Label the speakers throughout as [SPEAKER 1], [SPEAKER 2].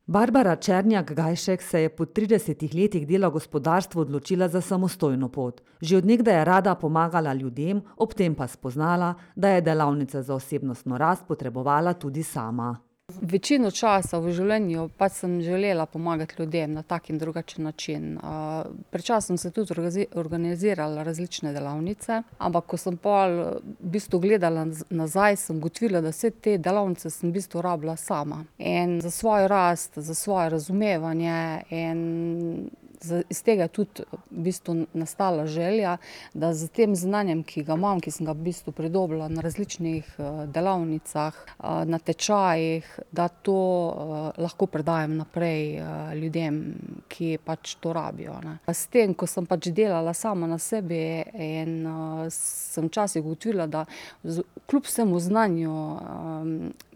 [SPEAKER 1] Barbara Černjak-Gajšek se je po 30 letih dela v gospodarstvu odločila za samostojno pot. Že od nekdaj je rada pomagala ljudem, ob tem pa spoznala, da je delavnice za osebnostno rast potrebovala tudi sama.
[SPEAKER 2] Večino časa v življenju pa sem želela pomagati ljudem na tak in drugačen način. Pred časom sem tudi organizirala različne delavnice, ampak ko sem pol v bistvu gledala nazaj, sem ugotovila, da vse te delavnice sem v bistvu rabila sama. In za svojo rast, za svoje razumevanje in iz tega je tudi v bistvu nastala želja, da s tem znanjem, ki ga imam, ki sem ga v bistvu pridobila na različnih delavnicah, na tečajih, da to lahko predajam naprej ljudem, ki pač to rabijo, ne. S tem, ko sem pač delala sama na sebi in sem včasih ugotovila, da kljub vsemu znanju,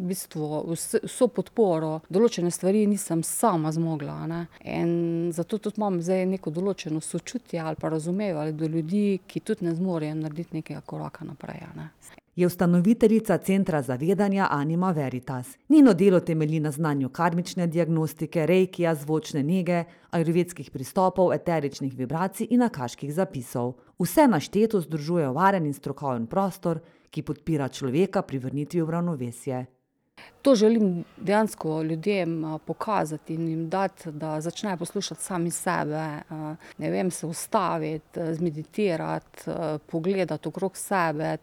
[SPEAKER 2] v bistvu vso podporo, določene stvari nisem sama zmogla, ne. In zato tudi imam zdaj neko določeno sočutje ali pa razumevanje do ljudi, ki tudi ne zmorejo narediti nekega koraka naprej, ne.
[SPEAKER 1] Je ustanoviteljica Centra zavedanja Anima Veritas. Njeno delo temelji na znanju karmične diagnostike, reikija, zvočne nege, ajurvedskih pristopov, eteričnih vibracij in akaških zapisov. Vse našteto združuje varen in strokoven prostor, ki podpira človeka pri vrnitvi v ravnovesje.
[SPEAKER 2] To želim dejansko ljudem pokazati in jim dati, da začnejo poslušati sami sebe, ne vem, se ustaviti, zmeditirati, pogledati okrog sebe,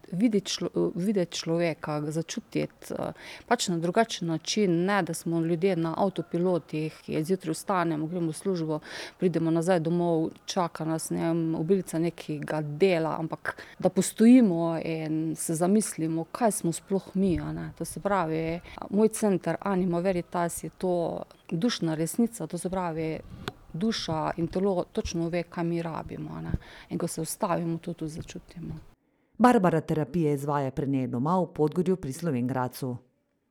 [SPEAKER 2] videti človeka, ga začutiti, pač na drugačen način, ne da smo ljudje na avtopilotih, ki zjutraj vstanemo, gremo v službo, pridemo nazaj domov, čaka nas, ne vem, obilica nekega dela, ampak da postojimo in se zamislimo, kaj smo sploh mi, a ne. To se pravi, moj center Anima Veritas je to dušna resnica, to se pravi, duša in telo točno ve, kaj mi rabimo, a ne. In ko se ustavimo, to tudi začutimo.
[SPEAKER 1] Barbara terapije izvaja pri njej doma v Podgorju pri Slovenj Gradcu.